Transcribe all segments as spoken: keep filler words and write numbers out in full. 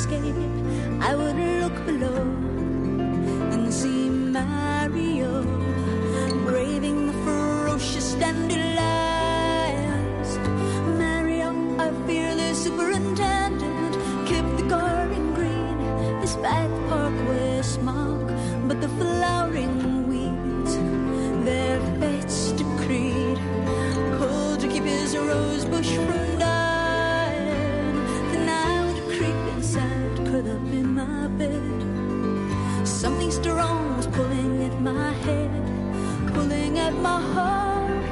escape, I would look below and see Mario braving the ferocious dandelions. Mario, our fearless superintendent, kept the garden green despite the parkway smog. But the flowering weeds, their fates decreed, pulled to keep his rose bush from dying. Then I would creep inside, curl up in my bed. Something strong was pulling at my head, pulling at my heart,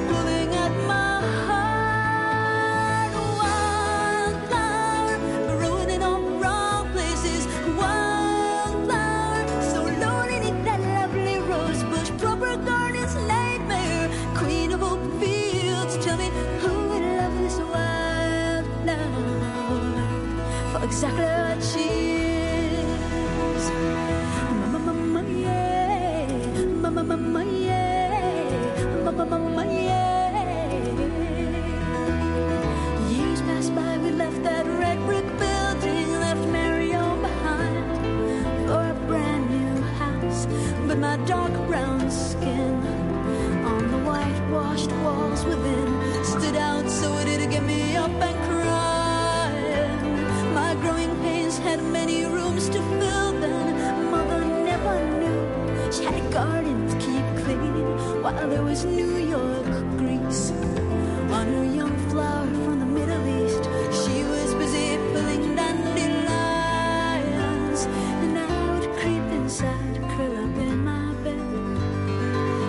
pulling at my heart. Wildflower, growing in all the wrong places. Wildflower, so lonely in that lovely rose bush. Proper garden's nightmare, queen of open fields. Tell me who would love this wildflower for exactly what she is. Mama, mama, yeah. Mama, mama, yeah. Mama, mama, yeah. Years passed by, we left that red brick building, left Mario behind for a brand new house. But my dark brown skin on the whitewashed walls within stood out, so it did get me up and crying. My growing pains had many rooms to fill then. Mother never knew she had a garden to keep clean, while there was New York grease on her young flower from the Middle East. She was busy pulling dandelions, and I would creep inside, curl up in my bed.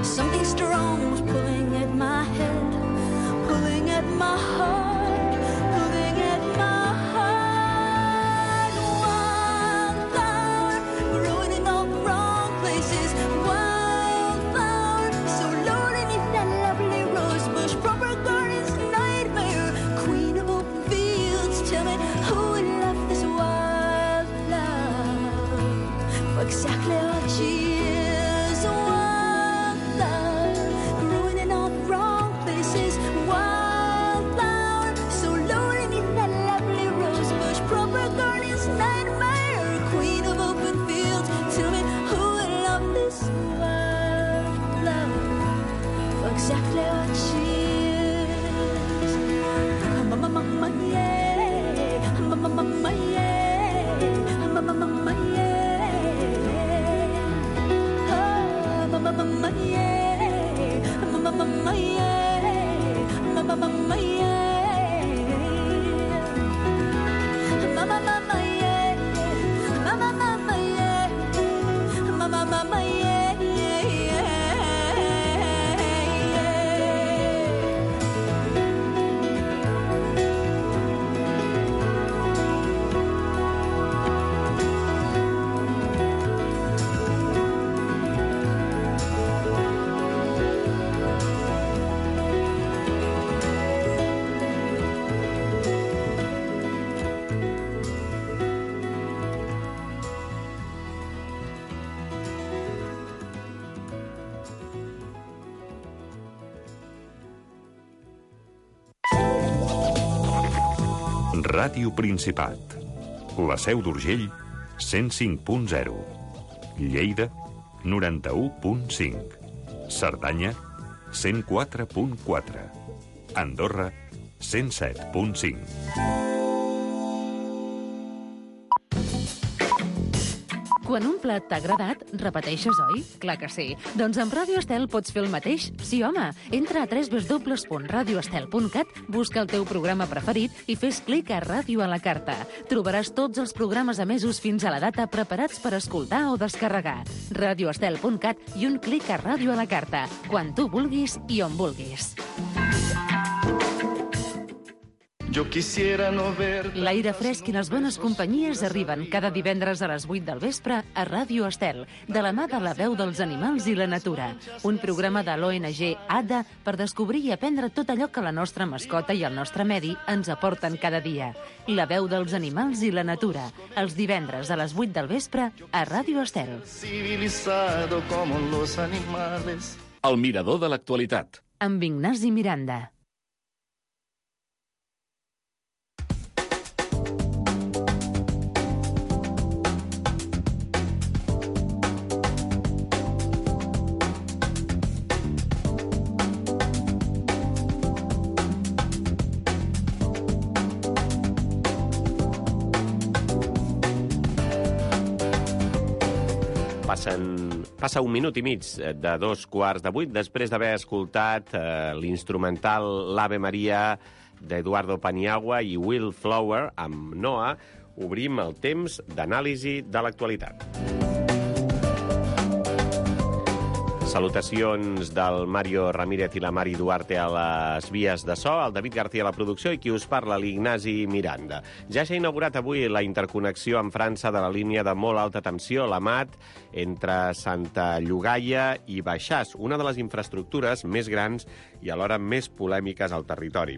Something strong was pulling at my head, pulling at my heart, pulling at my heart. Wildflower, growing in all the wrong places. Wildflower, so lonely in that lovely rose bush. Proper garden's nightmare, queen of open fields. Tell me who would love this wildflower for exactly what she is. Wildflower, growing in all the wrong places. Wildflower, so lonely in that lovely rose bush. Proper garden's nightmare, queen of open fields. Tell me who would love this wildflower for exactly what she is. Mama, mama, yeah. Mama, mama, yeah. Mama, mama, yeah. Oh, mama, mama, yeah. Mama, mama, yeah. Mama, mama, yeah. Mama, mama, yeah. Mama, mama, yeah. Mama, mama, yeah, yeah, yeah, Ràdio Principat. La Seu d'Urgell, cent cinc punt zero. Lleida, noranta-u punt cinc. Cerdanya, cent quatre punt quatre. Andorra, cent set punt cinc. Quan un plat t'ha agradat, repeteixes, oi? Clar que sí. Doncs amb Ràdio Estel pots fer el mateix. Sí, home. Entra a w w w punt radio estel punt cat, busca el teu programa preferit i fes clic a Ràdio a la carta. Trobaràs tots els programes emesos fins a la data preparats per escoltar o descarregar. radio estel punt cat i un clic a Ràdio a la carta. Quan tu vulguis i on vulguis. Yo quisiera no ver... L'aire fresc i les bones companyies arriben cada divendres a les vuit del vespre a Ràdio Estel, de la mà de la veu dels animals i la natura. Un programa de l'O N G A D A per descobrir i aprendre tot allò que la nostra mascota i el nostre medi ens aporten cada dia. La veu dels animals i la natura, els divendres a les vuit del vespre a Ràdio Estel. Civilizado como los animales. El mirador de l'actualitat. Amb Ignasi Miranda. Passen, passa un minut i mig de dos quarts de vuit, després d'haver escoltat eh, l'instrumental l'Ave Maria d'Eduardo Paniagua i Will Flower amb Noah, obrim el temps d'anàlisi de l'actualitat. Salutacions del Mario Ramírez i la Mari Duarte a les vies de so, el David García a la producció i qui us parla, l'Ignasi Miranda. Ja s'ha inaugurat avui la interconnexió amb França de la línia de molt alta tensió, la M A T, entre Santa Llogaia i Baixàs, una de les infraestructures més grans i alhora més polèmiques al territori.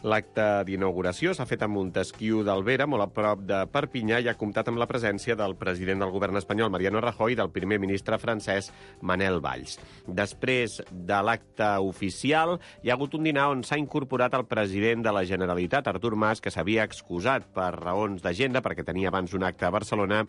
L'acte d'inauguració s'ha fet a Montesquiu d'Albera, molt a prop de Perpinyà, i ha comptat amb la presència del president del govern espanyol, Mariano Rajoy, i del primer ministre francès, Manel Valls. Després de l'acte oficial, hi ha hagut un dinar on s'ha incorporat el president de la Generalitat, Artur Mas, que s'havia excusat per raons d'agenda, perquè tenia abans un acte a Barcelona,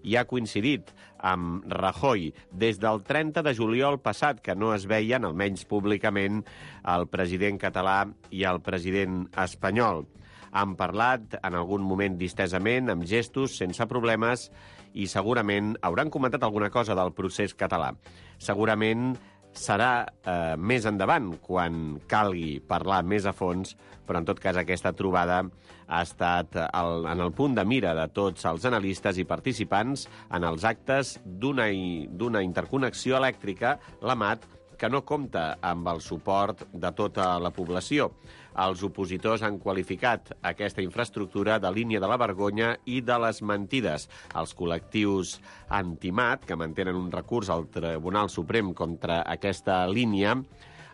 i ha coincidit amb Rajoy des del trenta de juliol passat, que no es veien, almenys públicament, el president català i el president espanyol. Han parlat en algun moment distesament, amb gestos, sense problemes, i segurament hauran comentat alguna cosa del procés català. Segurament serà eh, més endavant, quan calgui parlar més a fons, però en tot cas aquesta trobada ha estat el, en el punt de mira de tots els analistes i participants en els actes d'una d'una interconnexió elèctrica, la M A T, que no compta amb el suport de tota la població. Els opositors han qualificat aquesta infraestructura de línia de la vergonya i de les mentides. Els col·lectius anti-M A T, que mantenen un recurs al Tribunal Suprem contra aquesta línia,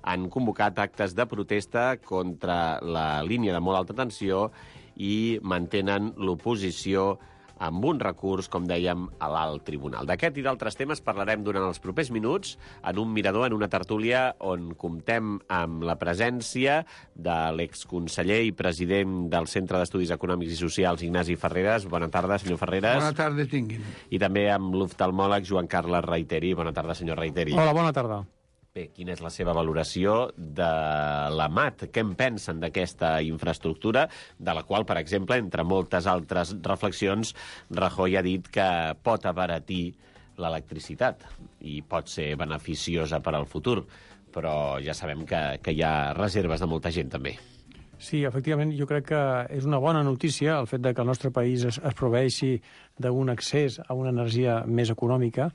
han convocat actes de protesta contra la línia de molt alta tensió i mantenen l'oposició amb un recurs, com dèiem, a l'alt tribunal. D'aquest i d'altres temes parlarem durant els propers minuts en un mirador, en una tertúlia on comptem amb la presència de l'exconseller i president del Centre d'Estudis Econòmics i Socials, Ignasi Ferreres. Bona tarda, senyor Ferreres. Bona tarda, tinguin. I també amb l'oftalmòleg Joan Carles Reiteri. Bona tarda, senyor Reiteri. Hola, bona tarda. Bé, quina és la seva valoració de la M A T? Què en pensen d'aquesta infraestructura, de la qual, per exemple, entre moltes altres reflexions, Rajoy ha dit que pot abaratir l'electricitat i pot ser beneficiosa per al futur, però ja sabem que, que hi ha reserves de molta gent, també. Sí, efectivament, jo crec que és una bona notícia el fet de que el nostre país es, es proveeixi d'un accés a una energia més econòmica,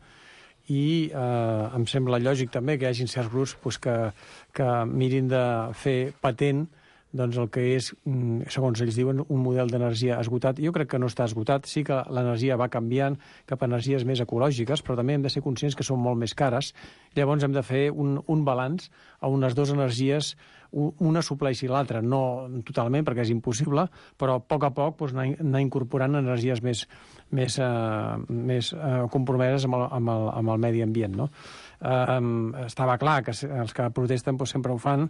i eh, em sembla lògic també que hi hagi certs grups pues, que, que mirin de fer patent doncs, el que és, segons ells diuen, un model d'energia esgotat. Jo crec que no està esgotat, sí que l'energia va canviant cap a energies més ecològiques, però també hem de ser conscients que són molt més cares. Llavors hem de fer un, un balanç on les dues energies una supleixi l'altra, no totalment perquè és impossible, però a poc a poc doncs, anar, anar incorporant energies més, més, uh, més uh, compromeses amb el, amb, el, amb el medi ambient. No? Uh, estava clar que els que protesten doncs, sempre ho fan,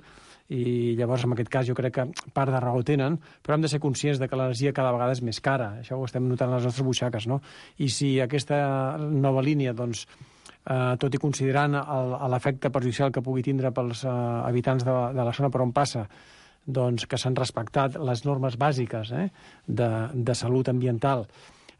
i llavors en aquest cas jo crec que part de raó tenen, però hem de ser conscients de que l'energia cada vegada és més cara, això ho estem notant a les nostres butxaques, no? I si aquesta nova línia, doncs, eh, tot i considerant l'efecte perjudicial que pugui tindre pels eh, habitants de, de la zona per on passa, doncs que s'han respectat les normes bàsiques eh, de, de salut ambiental,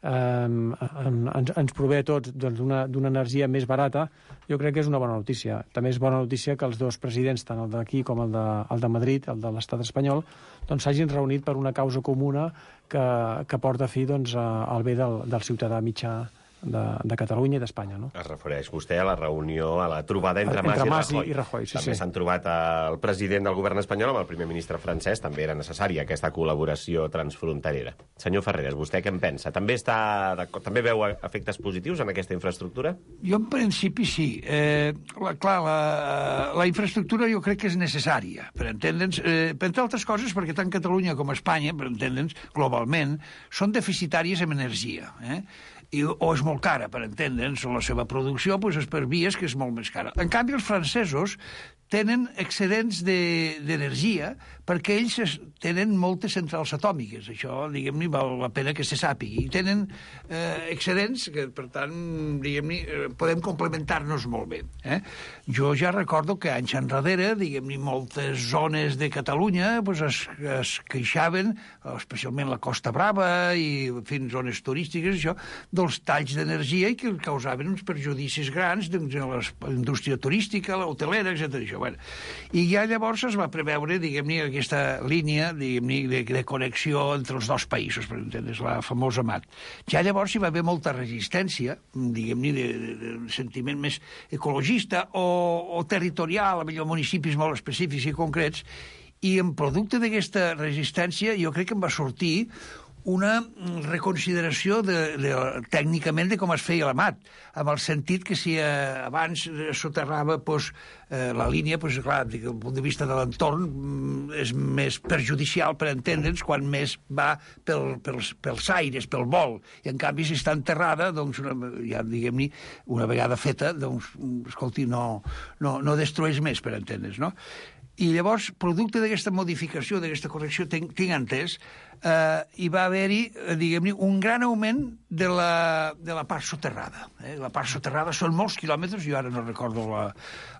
eh, ens, ens prové a tots doncs, d'una energia més barata, jo crec que és una bona notícia. També és bona notícia que els dos presidents, tant el d'aquí com el de, el de Madrid, el de l'estat espanyol, doncs s'hagin reunit per una causa comuna que, que porta fi doncs, al bé del, del ciutadà mitjà de, de Catalunya i d'Espanya. No? Es refereix vostè a la reunió, a la trobada entre, entre Mas i Rajoy. I Rajoy sí, també s'han sí. trobat el president del govern espanyol amb el primer ministre francès. També era necessària aquesta col·laboració transfronterera. Senyor Ferreres, vostè què en pensa? També, està, també veu efectes positius en aquesta infraestructura? Jo en principi sí. Eh, la, clar, la, la infraestructura jo crec que és necessària, per entendre'ns, eh, per entre altres coses perquè tant Catalunya com Espanya, per entendre'ns, globalment, són deficitàries en energia. Eh? I, o és molt cara, per entendre'ns, la seva producció doncs, és per vies que és molt més cara. En canvi, els francesos tenen excedents d'energia de, perquè ells es, tenen moltes centrals atòmiques. Això, diguem-ne, val la pena que se sàpigui. I tenen eh, excedents que, per tant, diguem-ne, podem complementar-nos molt bé. Eh? Jo ja recordo que anys enrere, diguem-ne, moltes zones de Catalunya pues, es, es queixaven, especialment la Costa Brava i fins zones turístiques, això, dels talls d'energia i que causaven uns perjudicis grans doncs, a la indústria turística, a l'hotelera, etcètera. Bueno. I ja llavors es va preveure, diguem-ne, aquesta línia diguem-ne, de, de connexió entre els dos països, per entendre's, la famosa M A T. Ja llavors hi va haver molta resistència, diguem-ne, de, de, de sentiment més ecologista o, o territorial, a millor municipis molt específics i concrets, i en producte d'aquesta resistència jo crec que em va sortir una reconsideració de, de, tècnicament de com es feia la M A T, amb el sentit que si eh, abans soterrava pues, eh, la línia, pues, clar, des del punt de vista de l'entorn és més perjudicial per entendre'ns quan més va pel, pels, pels aires, pel vol, i en canvi si està enterrada, doncs una, ja diguem-ne, una vegada feta, doncs, escolti, no, no, no destrueix més, per entendre'ns, no? I llavors, producte d'aquesta modificació, d'aquesta correcció, tinc, tinc entès, eh, hi va haver-hi, diguem-ne, un gran augment de la, de la part soterrada. Eh? La part soterrada són molts quilòmetres, jo ara no recordo la,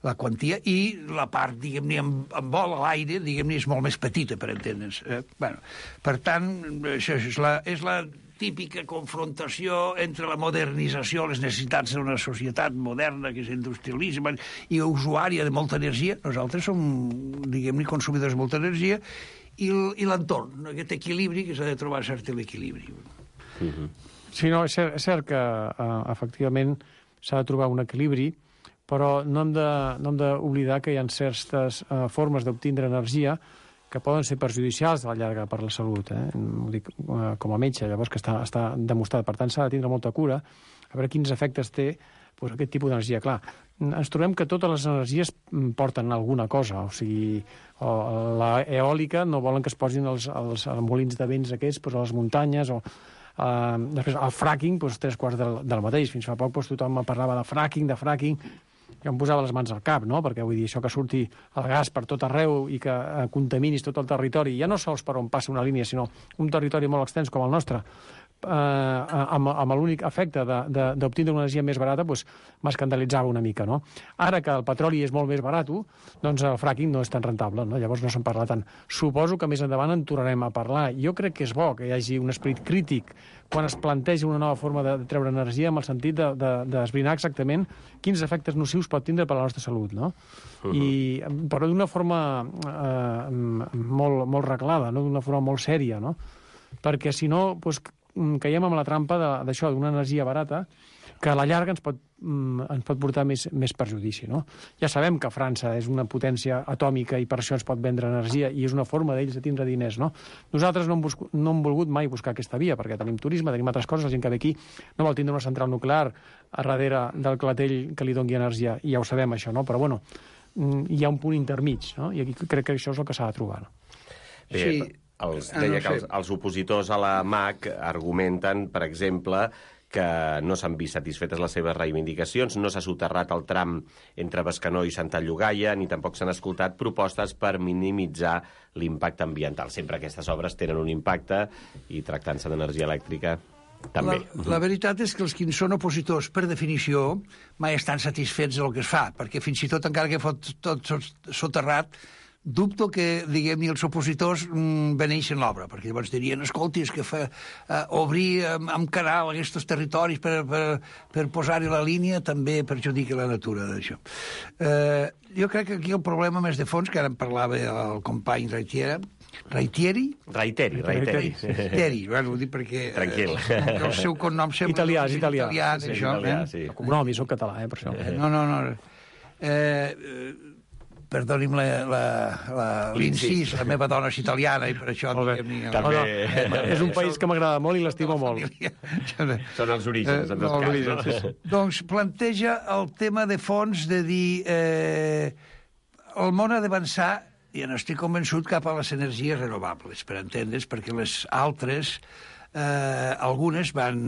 la quantia, i la part, diguem-ne, amb, amb vol a l'aire, diguem-ne, és molt més petita, per entendre'ns. Eh? Bueno, per tant, això és la, és la típica confrontació entre la modernització, les necessitats d'una societat moderna que s'industrialitza i usuària de molta energia. Nosaltres som, diguem-ne, consumidors de molta energia, i l'entorn, aquest equilibri, que s'ha de trobar cert l'equilibri. Mm-hmm. Sí, no, és cert, és cert que uh, efectivament s'ha de trobar un equilibri, però no hem de, no hem d'oblidar que hi ha certes uh, formes d'obtindre energia que poden ser perjudicials a la llarga per la salut, eh? Ho dic uh, com a metge, llavors que està, està demostrat. Per tant, s'ha de tindre molta cura a veure quins efectes té pues, aquest tipus d'energia. Clar, ens trobem que totes les energies porten alguna cosa, o sigui, o la eòlica no volen que es posin els, els, els molins de vents aquests pues, a les muntanyes, o uh, després el fracking, pues, tres quarts del, del mateix. Fins fa poc pues, tothom parlava de fracking, de fracking, jo em posava les mans al cap, no? Perquè vull dir, això que surti el gas per tot arreu i que eh, contaminis tot el territori, ja no sols per on passa una línia, sinó un territori molt extens com el nostre, eh, amb, amb l'únic efecte d'obtindre una energia més barata, doncs m'escandalitzava una mica, no? Ara que el petroli és molt més barat, doncs el fracking no és tan rentable, no? Llavors no se'n parla tant. Suposo que més endavant en tornarem a parlar. Jo crec que és bo que hi hagi un esperit crític quan es planteja una nova forma de treure energia, amb el sentit d'esbrinar de, de, exactament quins efectes nocius pot tindre per a la nostra salut, no? Uh-huh. I, però d'una forma eh, molt, molt reglada, no? D'una forma molt sèria, no? Perquè si no, doncs, caiem en la trampa d'això, d'una energia barata, que a la llarga ens pot, ens pot portar més, més perjudici, no? Ja sabem que França és una potència atòmica i per això ens pot vendre energia i és una forma d'ells de tindre diners, no? Nosaltres no hem, busc, no hem volgut mai buscar aquesta via perquè tenim turisme, tenim altres coses, la gent que ve aquí no vol tindre una central nuclear a darrere del clatell que li doni energia, i ja ho sabem això, no? Però bueno, hi ha un punt intermig, no? I aquí crec que això és el que s'ha de trobar, no? Bé, sí. Els, deia que els, els opositors a la M A C argumenten, per exemple, que no s'han vist satisfetes les seves reivindicacions, no s'ha soterrat el tram entre Bescanó i Santa Llogaia, ni tampoc s'han escoltat propostes per minimitzar l'impacte ambiental. Sempre aquestes obres tenen un impacte i tractant-se d'energia elèctrica també. La, la veritat és que els que són opositors, per definició, mai estan satisfets del que es fa, perquè fins i tot, encara que fot tot soterrat, dubto que, diguem-ne, els opositors mm, beneixen l'obra, perquè llavors dirien, escolti, és que fa, uh, obrir amb, amb canal aquests territoris per, per, per posar-hi la línia també perjudica la natura d'això. Uh, jo crec que aquí el problema més de fons, que ara en parlava el company Reitiera, Reitieri? Reiteri, Reiteri. Reiteri, bueno, ho dic perquè Tranquil. Eh, el seu cognom sembla... Italià, és italià. italià, sí, això, italià, eh? sí. El cognom, i soc català, eh, per això. No, no, no. Eh, perdoni'm la, la, la, l'incís, la meva dona és italiana i per això... Diguem-ne, també... No, no, és un país que m'agrada molt i l'estimo molt. Són els orígens, en tot eh, cas. No? Doncs planteja el tema de fons de dir eh, el món ha d'avançar, i n'estic convençut, cap a les energies renovables, per entendre's, perquè les altres... Eh, algunes van,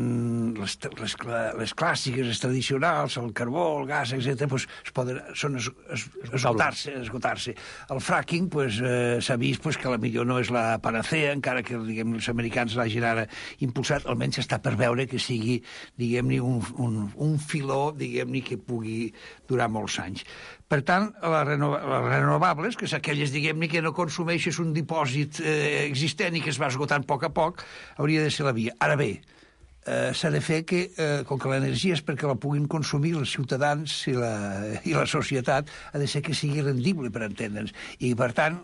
les, les, les clàssiques, les tradicionals, el carbó, el gas, etcètera, pues, es poden, són es, es, esgotar-se, esgotar-se. El fracking, pues, eh, s'ha vist pues, que la millor no és la panacea, encara que diguem, els americans l'hagin ara impulsat, almenys està per veure que sigui, diguem-ne, un, un, un filó, diguem-ne, que pugui durar molts anys. Per tant, les renova, renovables, que és aquelles, diguem-ne, que no consumeixes un dipòsit eh, existent i que es va esgotant a poc a poc, hauria de ser la via. Ara bé, eh, s'ha de fer que, eh, com que l'energia és perquè la puguin consumir els ciutadans i la, i la societat, ha de ser que sigui rendible, per entendre'ns. I, per tant,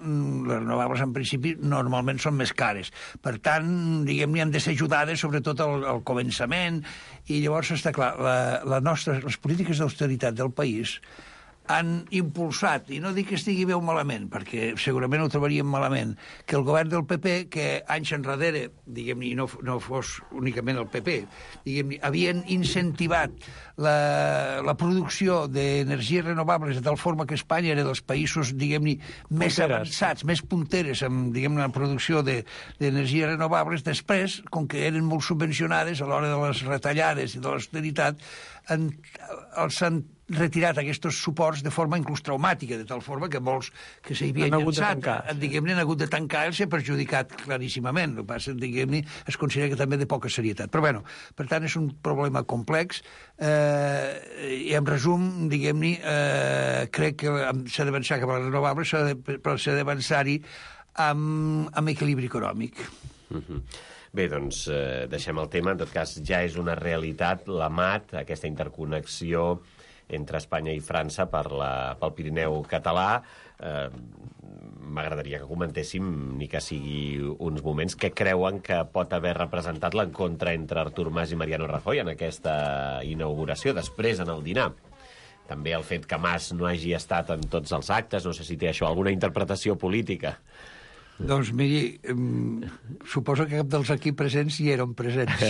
les renovables, en principi, normalment són més cares. Per tant, diguem-ne, han de ser ajudades, sobretot al, al començament, i llavors està clar, la, la nostra, les polítiques d'austeritat del país han impulsat, i no dic que estigui bé o malament, perquè segurament ho trobaríem malament, que el govern del P P, que anys enrere, diguem-ne, no, no fos únicament el P P, diguem-ne, havien incentivat la, la producció d'energies renovables de tal forma que Espanya era dels països, diguem-ne, més avançats, més punteres en, diguem-ne, la producció d'energies renovables. Després, com que eren molt subvencionades a l'hora de les retallades i de l'austeritat, en, els han retirat aquests suports de forma inclús traumàtica, de tal forma que molts que s'hi havien llançat, diguem-ne, han hagut de tancar i s'ha perjudicat claríssimament. El que passa, diguem-ne, es considera que també de poca serietat. Però, bueno, per tant, és un problema complex eh, i, en resum, diguem-ne, eh, crec que s'ha d'avançar cap a les renovables, però s'ha d'avançar-hi amb, amb equilibri econòmic. Mm-hmm. Bé, doncs, eh, deixem el tema. En tot cas, ja és una realitat, la M A T, aquesta interconnexió entre Espanya i França per la, pel Pirineu català. Eh, M'agradaria que comentéssim, ni que sigui uns moments, què creuen que pot haver representat l'encontre entre Artur Mas i Mariano Rajoy en aquesta inauguració, després en el dinar. També el fet que Mas no hagi estat en tots els actes, no sé si té això alguna interpretació política. Doncs, miri, um, suposo que cap dels aquí presents hi eren presents.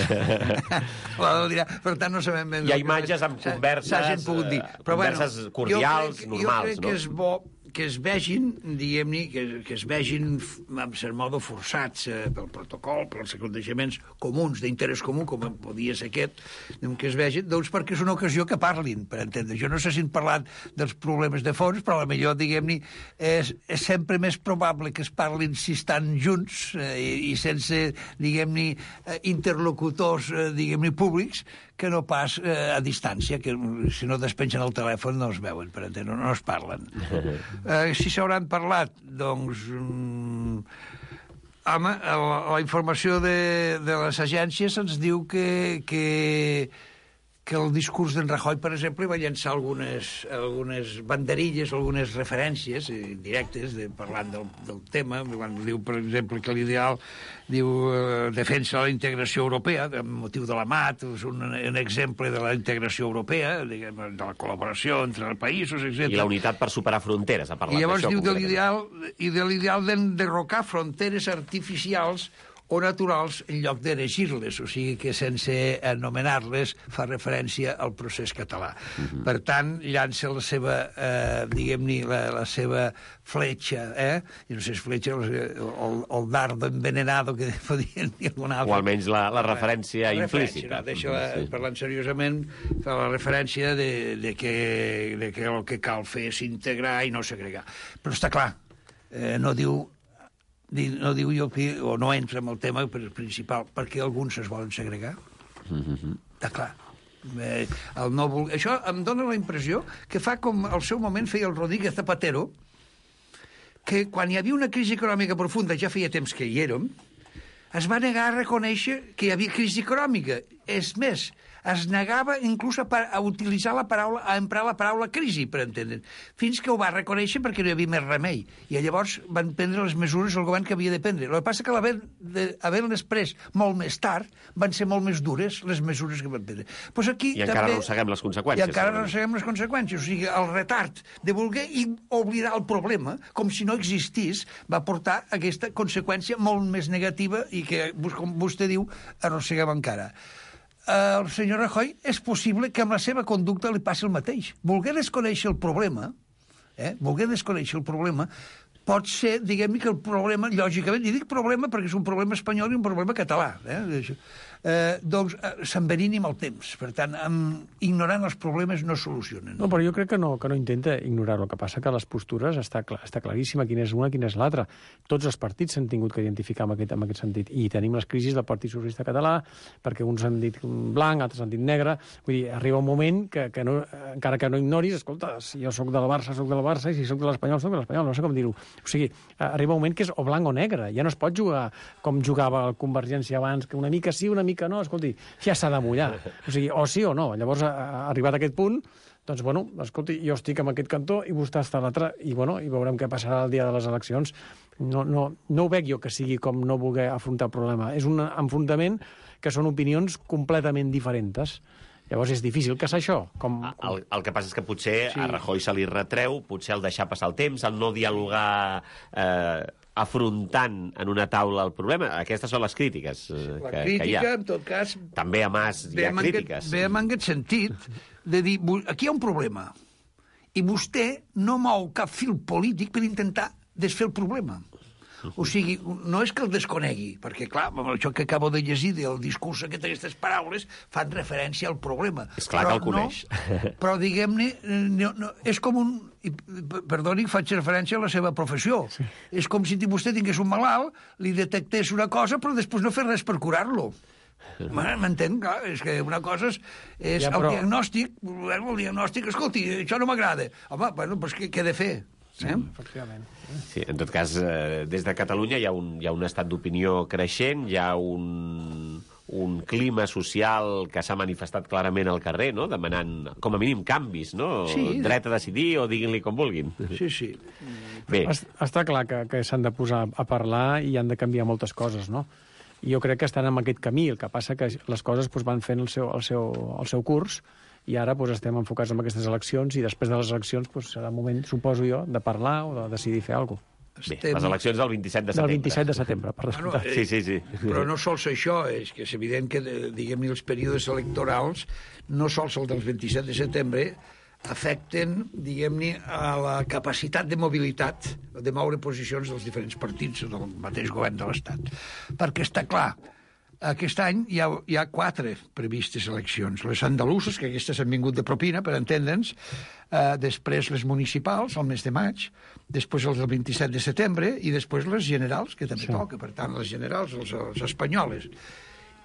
Per tant, no sabem ben... Hi ha imatges amb converses, dir. Però, converses bueno, cordials, jo crec, normals, jo crec no? que és bo que es vegin, diguem-ne, que, que es vegin, en cert modo, forçats eh, pel protocol, pels aconteixements comuns, d'interès comú, com podia ser aquest, que es vegin, doncs perquè és una ocasió que parlin, per entendre. Jo no sé si han parlat dels problemes de fons, però potser, diguem-ne, és, és sempre més probable que es parlin si estan junts eh, i, i sense, diguem-ne, interlocutors, eh, diguem-ne, públics, que no pas eh, a distància, que si no despengen el telèfon no es veuen, per entendre, no, no es parlen. Eh, si s'hauran parlat, doncs... Mm, home, la, la informació de, de les agències ens diu que, que, que el discurs d'en Rajoy, per exemple, va llançar algunes, algunes banderilles, algunes referències indirectes de, parlant del, del tema. Quan diu, per exemple, que l'ideal diu eh, defensa la integració europea, amb motiu de la M A T, és un, un exemple de la integració europea, diguem, de la col·laboració entre els països, etcètera. I la unitat per superar fronteres, ha parlat d'això. I llavors diu de l'ideal i de l'ideal d'enderrocar fronteres artificials o naturals en lloc d'erigir-les, o sigui que sense anomenar-les fa referència al procés català. Uh-huh. Per tant, llança la seva, eh, diguem-ne, la, la seva fletxa, eh? I no sé si és fletxa o el, el dardo envenenado que podien dir alguna altra. O almenys la, la referència la implícita. No, deixa, sí. Parlant seriosament, fa la referència de, de, que, de que el que cal fer és integrar i no segregar. Però està clar, eh, no diu no diu jo que, o no entra en el tema principal, perquè alguns es volen segregar. Mm-hmm. Està clar. Eh, el no vol... Això em dona la impressió que fa com al seu moment feia el Rodríguez Zapatero, que quan hi havia una crisi econòmica profunda, ja feia temps que hi érem, es va negar a reconèixer que hi havia crisi econòmica. És més, es negava inclús a, a utilitzar la paraula, a emprar la paraula crisi, per entendre, fins que ho va reconèixer perquè no hi havia més remei. I llavors van prendre les mesures el govern que havia de prendre. El que passa que l'haver-les pres molt més tard van ser molt més dures les mesures que van prendre. Pues aquí, I encara també, arrosseguem les conseqüències. I encara arrosseguem les conseqüències. O sigui, el retard de voler i oblidar el problema, com si no existís, va portar aquesta conseqüència molt més negativa i que, com vostè diu, arrosseguem encara. El senyor Rajoy és possible que amb la seva conducta li passi el mateix. Volguer desconèixer el problema, eh? Volguer desconèixer el problema, pot ser, diguem-ne, que el problema, lògicament, i dic problema perquè és un problema espanyol i un problema català, eh? Eh, doncs eh, s'envenini amb el temps. Per tant, amb, ignorant els problemes no solucionen. No, però jo crec que no, que no intenta ignorar-ho. El que passa que les postures està, clar, està claríssima quina és una, quina és l'altra. Tots els partits s'han tingut que identificar en aquest, en aquest sentit. I tenim les crisis del Partit Socialista Català, perquè uns han dit blanc, altres han dit negre. Vull dir, arriba un moment que, que no, encara que no ignoris, escolta, si jo sóc del Barça, sóc del Barça, i si sóc de l'Espanyol, sóc de l'Espanyol. No sé com dir-ho. O sigui, arriba un moment que és o blanc o negre. Ja no es pot jugar com jugava el Convergència abans, que una mica sí, una mica no. Escolti, ja s'ha de mullar. O sigui, o sí o no. Llavors, arribat a aquest punt, doncs, bueno, escolti, jo estic en aquest cantó i vostè està a l'altre, i, bueno, i veurem què passarà el dia de les eleccions. No, no, no ho veig jo que sigui com no voler afrontar el problema. És un enfrontament que són opinions completament diferents. Llavors és difícil que és això. Com, com... El, el que passa és que potser Sí. a Rajoy se li retreu, potser el deixar passar el temps, el no dialogar eh, afrontant en una taula el problema. Aquestes són les crítiques eh, La que, crítica, que hi ha. en tot cas, També a Mas hi ve ha amb crítiques. Aquest, ve amb aquest sentit de dir, "Bu- aquí hi ha un problema, i vostè no mou cap fil polític per intentar desfer el problema. O sigui, no és que el desconegui, perquè, clar, amb això que acabo de llegir del discurs aquest, aquestes paraules fan referència al problema. És clar però que el coneix. No, però, diguem-ne, no, no, és com un... I, perdoni, faig referència a la seva professió. Sí. És com si vostè tingués un malalt, li detectés una cosa, però després no fer res per curar-lo. M'entén? Clar, és que una cosa és, és Ja, però- el diagnòstic, bueno, el diagnòstic, escolti, això no m'agrada. Home, bueno, doncs què, què he de fer? Eh? Efectivament. Sí, en tot cas, eh, des de Catalunya hi ha un, hi ha un estat d'opinió creixent, hi ha un, un clima social que s'ha manifestat clarament al carrer, no? Demanant, com a mínim, canvis, no? Sí. Dret a decidir o diguin-li com vulguin. Sí, sí. Bé, Es- Està clar que, que s'han de posar a parlar i han de canviar moltes coses, no? I jo crec que estan en aquest camí, el que passa que les coses doncs, van fent el seu, el seu, el seu curs i ara doncs, estem enfocats en aquestes eleccions i després de les eleccions doncs, serà el moment, suposo jo, de parlar o de decidir fer alguna cosa. bé, les eleccions del vint-i-set de Del setembre. vint-i-set de setembre, per Bueno, descomptat. eh, Sí, sí, sí. Però no sols això, és que és evident que, eh, diguem-ne, els períodes electorals, no sols el del vint-i-set de setembre, afecten, diguem-ne, a la capacitat de mobilitat, de moure posicions dels diferents partits del mateix govern de l'Estat. Perquè està clar, aquest any hi ha, hi ha quatre previstes eleccions. Les andaluses, que aquestes han vingut de propina, per entendre'ns, eh, després les municipals, al mes de maig, després els del vint-i-set de setembre, i després les generals, que també Sí. toca, per tant, les generals, els, els espanyoles.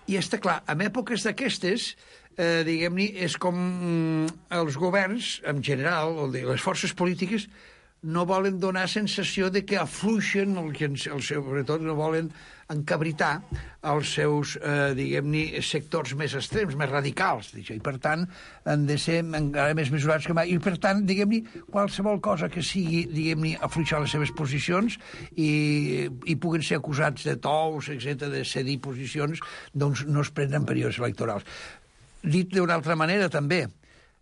I està clar, en èpoques d'aquestes, eh, diguem-ne, és com mm, els governs, en general, o de les forces polítiques, no volen donar sensació de que afluixen, el que, el seu, sobretot no volen encabritar els seus, eh, diguem-ne, sectors més extrems, més radicals, i per tant han de ser encara més mesurats que mai, i per tant, diguem-ne, qualsevol cosa que sigui, diguem-ne, afluixar les seves posicions i, i puguen ser acusats de tous, etcètera, de cedir posicions, doncs no es prenen períodes electorals. Dit d'una altra manera, també,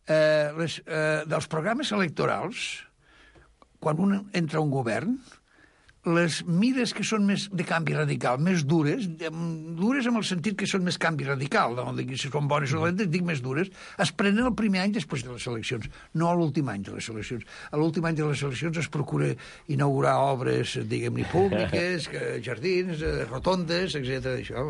eh, les, eh, dels programes electorals, quan un entra a un govern, les mires que són més de canvi radical, més dures, dures en el sentit que són més canvi radical, no dic si són bones o dolentes, dic més dures, es prenen el primer any després de les eleccions, no a l'últim any de les eleccions. A l'últim any de les eleccions es procura inaugurar obres, diguem-ne, públiques, jardins, rotondes, etcètera, això,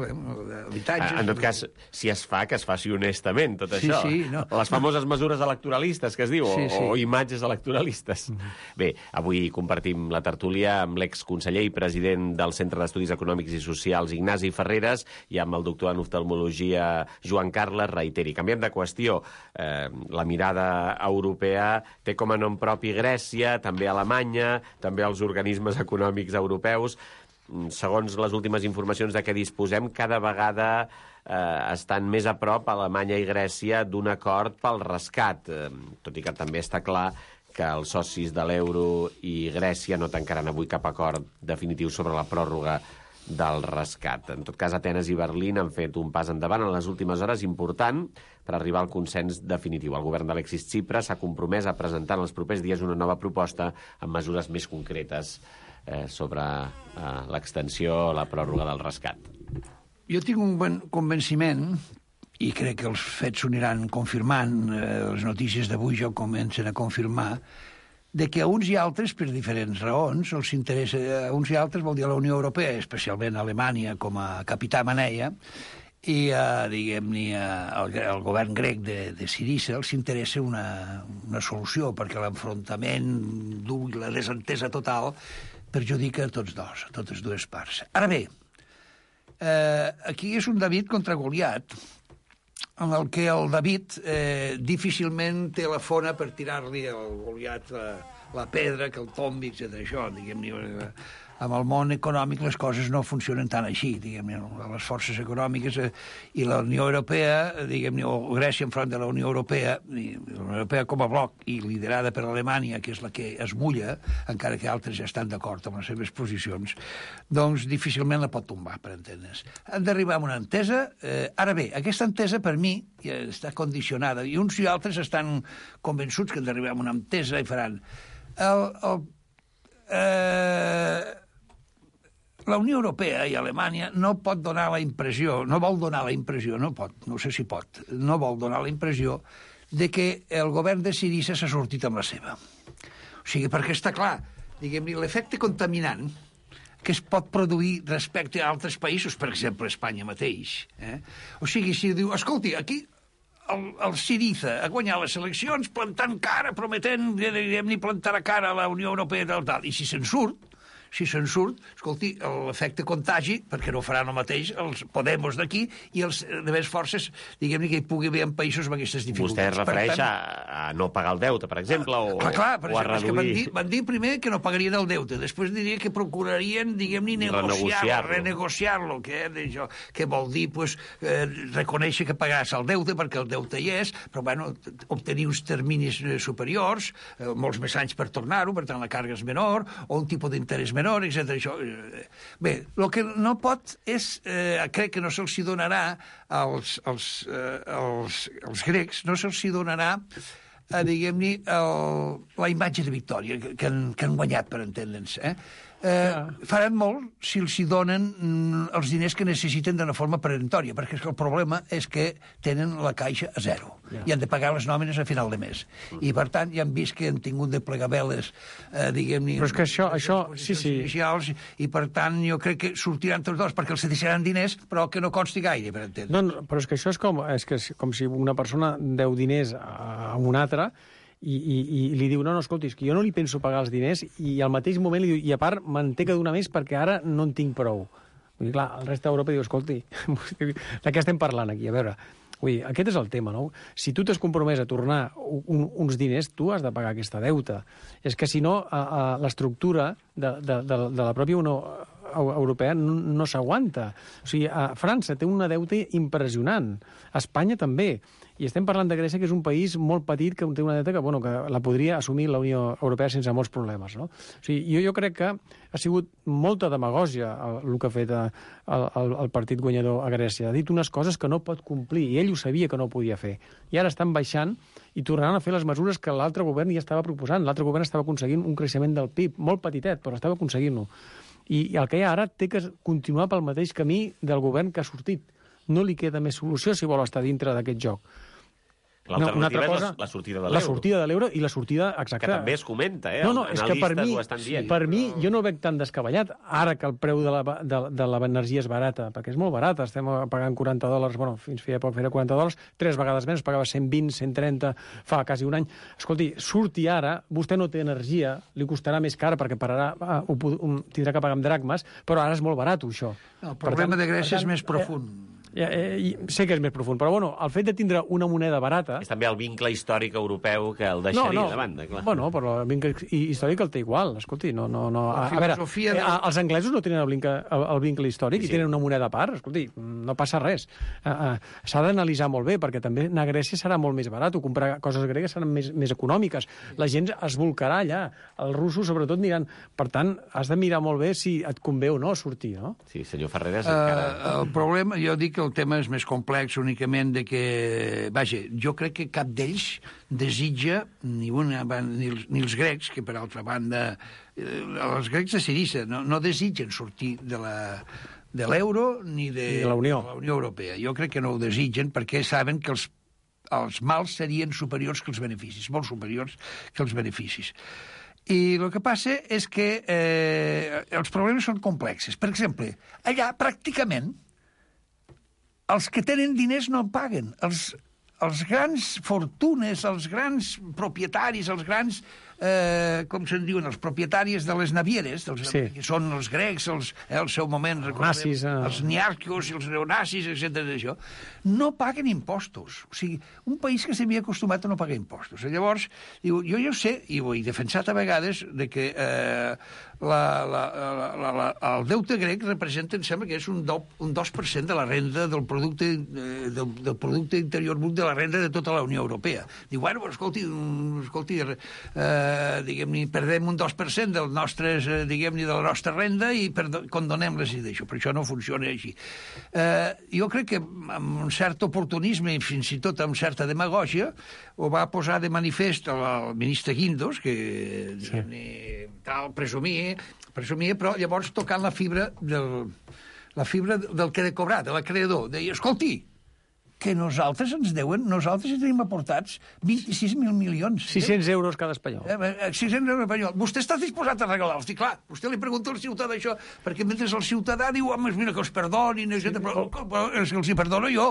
habitatges... En tot cas, si es fa, que es faci honestament, tot Sí, això. sí, no. Les famoses mesures electoralistes, que es diu, Sí, o, sí. o imatges electoralistes. Bé, avui compartim la tertúlia amb l'exconseller i president del Centre d'Estudis Econòmics i Socials, Ignasi Ferreres, i amb el doctor en oftalmologia, Joan Carles Reiteri. Canviem de qüestió. Eh, la mirada europea té com a nom propi Grècia, també Alemanya, també els organismes econòmics europeus. Segons les últimes informacions de què disposem, cada vegada eh, estan més a prop Alemanya i Grècia d'un acord pel rescat, eh, tot i que també està clar que els socis de l'euro i Grècia no tancaran avui cap acord definitiu sobre la pròrroga del rescat. En tot cas, Atenes i Berlín han fet un pas endavant en les últimes hores important per arribar al consens definitiu. El govern d'Alexis Tsipras s'ha compromès a presentar en els propers dies una nova proposta amb mesures més concretes eh, sobre eh, l'extensió, la pròrroga del rescat. Jo tinc un bon convenciment, i crec que els fets s'ho aniran confirmant, eh, les notícies d'avui ja comencen a confirmar, de que a uns i altres, per diferents raons, els interessa, a uns i altres vol dir a la Unió Europea, especialment a Alemanya com a capità maneia, i, eh, diguem-ne, al, al govern grec de, de Sirisa els interessa una, una solució, perquè l'enfrontament dur i la desentesa total perjudica a tots dos, a totes dues parts. Ara bé, eh, aquí és un David contra Goliat, en el que el David eh, difícilment té la fona per tirar-li al Goliat a, la pedra, que el tombi, etcètera. Això, diguem-ne, amb el món econòmic les coses no funcionen tan així, diguem-ne, les forces econòmiques eh, i la Unió Europea, diguem-ne, o Grècia enfront de la Unió Europea, i la Unió Europea com a bloc i liderada per Alemanya, que és la que es mulla, encara que altres ja estan d'acord amb les seves posicions, doncs difícilment la pot tombar, per entendre's. Han d'arribar a una entesa. Eh, ara bé, aquesta entesa, per mi, ja està condicionada, i uns i altres estan convençuts que han d'arribar a una entesa i faran... El, el, eh, la Unió Europea i Alemanya no pot donar la impressió, no vol donar la impressió, no pot, no sé si pot, no vol donar la impressió de que el govern de Sirisa s'ha sortit amb la seva. O sigui, perquè està clar, diguem-ne, l'efecte contaminant que es pot produir respecte a altres països, per exemple, Espanya mateix. Eh? O sigui, si diu, escolti, aquí el, el Siriza ha guanyat les eleccions plantant cara, prometent, diguem-ne, plantar a cara a la Unió Europea i tal, tal, i si se'n surt, si se'n surt, escolti, l'efecte contagi, perquè no faran el mateix els Podemos d'aquí i els de més forces, diguem-ne, que hi pugui haver en països amb aquestes dificultats. Vostè es refereix tant, a, a no pagar el deute, per exemple, o, clar, clar, per o exemple, a reduir... van dir, van dir primer que no pagarien el deute, després diria que procurarien, diguem-ne, negociar-lo, renegociar-lo, que, eh, que vol dir, pues, eh, reconèixer que pagaràs el deute, perquè el deute hi és, però, bueno, obtenir uns terminis superiors, eh, molts més anys per tornar-ho, per tant, la càrrega és menor, o un tipus d'interès menor, etcètera. Això. Bé, el que no pot és, eh, crec que no se'ls donarà als, als, eh, als, als grecs, no se'ls donarà, eh, diguem-ne, la imatge de victòria que, que, han, que han guanyat, per entendre'ns. Eh? Eh, faran molt si els hi donen mm, els diners que necessiten d'una forma peremptòria, perquè és que el problema és que tenen la caixa a zero yeah. i han de pagar les nòmines a final de mes. Mm. I, per tant, ja han vist que han tingut de plegar veles, eh, diguem-ne... Però és que això... això sí, sí. Inicials, i, per tant, jo crec que sortiran tots dos, perquè els deixaran diners, però que no consti gaire, per entendre. No, no, però és que això és com, és que és com si una persona deu diners a una altra i, i, i li diu, no, no, escolti, és que jo no li penso pagar els diners, i al mateix moment li diu, i a part me'n té que donar més perquè ara no en tinc prou. Vull dir, clar, el rest d'Europa diu, escolti, de què estem parlant aquí? A veure, vull dir, aquest és el tema, no? Si tu t'has compromès a tornar un, uns diners, tu has de pagar aquesta deuta. És que, si no, a, a l'estructura de, de, de, de la pròpia Unió Europea no, no s'aguanta. O sigui, a França té una deuta impressionant, a Espanya també. I estem parlant de Grècia, que és un país molt petit, que té una deuta que, bueno, que la podria assumir la Unió Europea sense molts problemes, no? O sigui, jo, jo crec que ha sigut molta demagògia el, el que ha fet el, el, el partit guanyador a Grècia. Ha dit unes coses que no pot complir, i ell ho sabia que no ho podia fer. I ara estan baixant i tornaran a fer les mesures que l'altre govern ja estava proposant. L'altre govern estava aconseguint un creixement del P I B, molt petitet, però estava aconseguint-ho. I, I el que hi ha ara té que continuar pel mateix camí del govern que ha sortit. No li queda més solució si vol estar dintre d'aquest joc. L'alternativa no, és la, la sortida de l'euro. La sortida de l'euro i la sortida exacta. Que també es comenta, eh? No, no, és que per mi, sí, per mi jo no ho veig tan descabellat. Ara que el preu de l'energia és barata, perquè és molt barata, estem pagant quaranta dòlars, bueno, fins feia poc feia quaranta dòlars, tres vegades menys, pagava cent vint, cent trenta, fa quasi un any. Escolti, surti ara, vostè no té energia, li costarà més car perquè pararà, uh, ho, tindrà que pagar amb dracmes, però ara és molt barat, això. No, el problema tant, de Grècia tant, és més profund. Eh, Ja, eh, sé que és més profund, però bueno, el fet de tindre una moneda barata... És també el vincle històric europeu que el deixaria no, no. de banda, clar. Bueno, però el vincle històric el té igual, escolti, no... no, no. A, a veure, eh, de... els anglesos no tenen el vincle, el, el vincle històric sí, sí. i tenen una moneda a part, escolti, no passa res. Uh, uh, S'ha d'analitzar molt bé, perquè també anar a Grècia serà molt més barat, o comprar coses gregues seran més, més econòmiques. La gent es volcarà allà, els russos sobretot aniran... Per tant, has de mirar molt bé si et convé o no sortir, no? Sí, senyor Ferreras, uh, encara... El problema, jo dic que el tema és més complex únicament de que... Vaja, jo crec que cap d'ells desitja, ni, una, ni, els, ni els grecs, que per altra banda... Eh, els grecs de Sirisa no, no desitgen sortir de la de l'euro ni de, de la Unió. de la Unió Europea. Jo crec que no ho desitgen perquè saben que els, els mals serien superiors que els beneficis, molt superiors que els beneficis. I el que passa és que eh, els problemes són complexes. Per exemple, allà pràcticament els que tenen diners no paguen. Els, els grans fortunes, els grans propietaris, els grans eh, com se'n diuen, els propietaris de les navieres, dels, Sí. que són els grecs, els, eh, al seu moment, recordem, nazis, eh. els niarcos i els neonazis, etcètera d'això, no paguen impostos. O sigui, un país que s'havia acostumat a no pagar impostos. I llavors, diu, jo ja ho sé, i ho he defensat a vegades, de que eh, la, la, la, la, la, el deute grec representa, em sembla que és un, do, un dos per cent de la renda del producte, eh, del, del producte interior brut de la renda de tota la Unió Europea. Diu, bueno, escolti, escolti eh, diguem-ne, perdem un dos per cent del nostres, eh, diguem-ne, de la nostra renda i condonem-les i d'això, però això no funciona així. Eh, jo crec que amb un cert oportunisme i fins i tot amb certa demagògia ho va posar de manifest el ministre Guindos, que sí. tal, presumia, presumia, però llavors tocant la fibra del, la fibra del que de cobrar, de l'acreedor. Deia, escolti, que nosaltres ens deuen, nosaltres tenim aportats vint-i-sis mil milions. sis-cents euros cada espanyol. Eh, sis-cents euros espanyol. Vostè està disposat a regalar-los? I clar, vostè li pregunta al ciutadà això, perquè mentre el ciutadà diu, home, mira, que els perdonin, sí, però, però els, els hi perdono jo,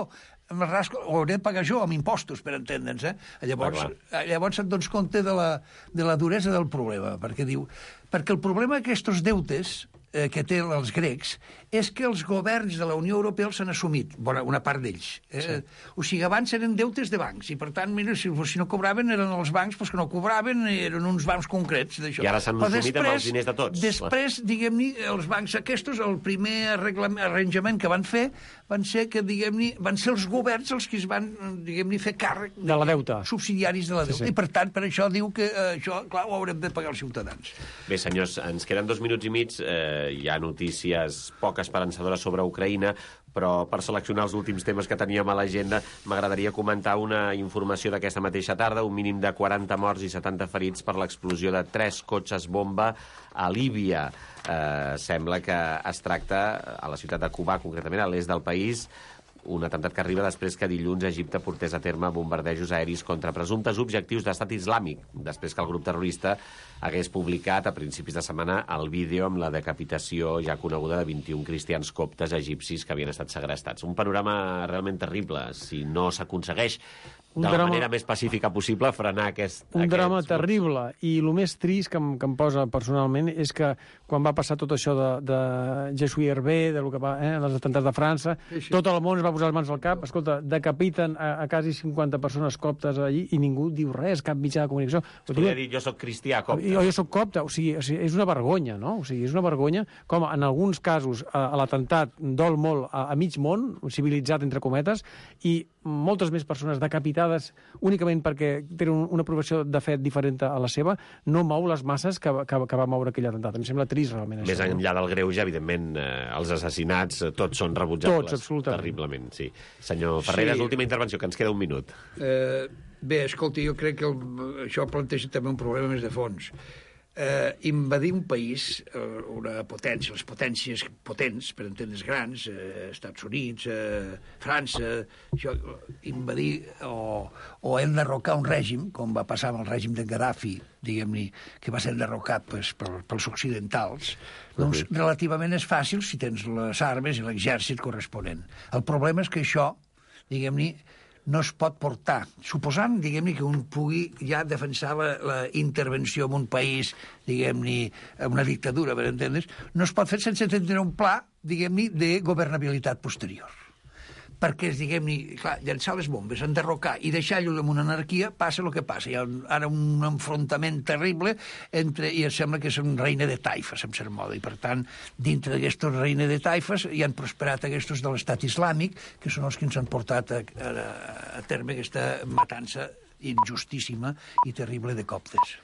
em rasco, ho hauré de pagar jo amb impostos, per entendre'ns, eh? Llavors, ah, llavors et dones compte de la, de la duresa del problema, perquè diu, perquè el problema d'aquests deutes eh, que té els grecs és que els governs de la Unió Europea els han assumit, bona, una part d'ells. Eh? Sí. O sigui, abans eren deutes de bancs, i per tant, mira, si, si no cobraven eren els bancs, doncs que no cobraven, eren uns bancs concrets d'això. I ara s'han assumit després, amb els diners de tots. Després, diguem-ne, els bancs aquests, el primer arranjament que van fer van ser que, diguem-ne, van ser els governs els que es van, diguem-ne, fer càrrec de la deuta. Subsidiaris de la deuta. Sí, sí. I per tant, per això diu que eh, això, clar, ho haurem de pagar els ciutadans. Bé, senyors, ens queden dos minuts i mig. Eh, hi ha notícies poc esperançadores sobre Ucraïna, però per seleccionar els últims temes que teníem a l'agenda m'agradaria comentar una informació d'aquesta mateixa tarda, un mínim de quaranta morts i setanta ferits per l'explosió de tres cotxes bomba a Líbia. Eh, sembla que es tracta a la ciutat de Cubà, concretament a l'est del país, un atemptat que arriba després que dilluns Egipte portés a terme bombardejos aeris contra presumptes objectius d'estat islàmic, després que el grup terrorista hagués publicat a principis de setmana el vídeo amb la decapitació ja coneguda de vint-i-un cristians coptes egipcis que havien estat segrestats. Un panorama realment terrible, si no s'aconsegueix de la drama, manera més pacífica possible frenar aquest... Un aquests drama grups. terrible, i el més trist que em, que em posa personalment és que quan va passar tot això de, de Jesús Hervé, de lo que va, eh, dels atemptats de França, sí, sí. Tot el món es va posar les mans al cap, escolta, decapiten a, a quasi cinquanta persones coptes allí i ningú diu res, cap mitjà de comunicació. Podria dir, jo soc cristià copte. Jo, jo soc copte, o sigui, o sigui, és una vergonya, no? O sigui, és una vergonya com en alguns casos a, a l'atemptat dol molt a, a mig món, civilitzat entre cometes, i moltes més persones decapitades únicament perquè tenen una aprovació de fet diferent a la seva, no mou les masses que, que, que va moure aquell atemptat. Em sembla trist, realment, Més això. Més enllà del greuge, evidentment, eh, els assassinats eh, tots són rebutjables. Tots, absolutament. Terriblement, sí. Senyor Ferreras, Sí. última intervenció, que ens queda un minut. Eh, bé, escolta, jo crec que el, això planteja també un problema més de fons. Eh, invadir un país, eh, una potència, les potències potents, per entendre's grans, eh, Estats Units, eh, França, això, invadir o, o enderrocar un règim, com va passar amb el règim de Gaddafi, diguem-ne, que va ser enderrocat pues, per, pels occidentals, doncs uh-huh. relativament és fàcil si tens les armes i l'exèrcit corresponent. El problema és que això, diguem-ne, no es pot portar, suposant, diguem-ne, que un pugui ja defensar la, la intervenció en un país, diguem-ne, una dictadura, per entendre's, no es pot fer sense tenir un pla, diguem-ne, de governabilitat posterior. Perquè, diguem-ne, clar, llançar les bombes, enderrocar i deixar-lo en una anarquia, passa el que passa. Hi ha un, ara un enfrontament terrible entre, i em sembla que és un reina de taifes, en cert moda, i per tant, dintre d'aquestos reina de taifes hi han prosperat aquests de l'estat islàmic, que són els que ens han portat a, a, a terme aquesta matança injustíssima i terrible de coptes.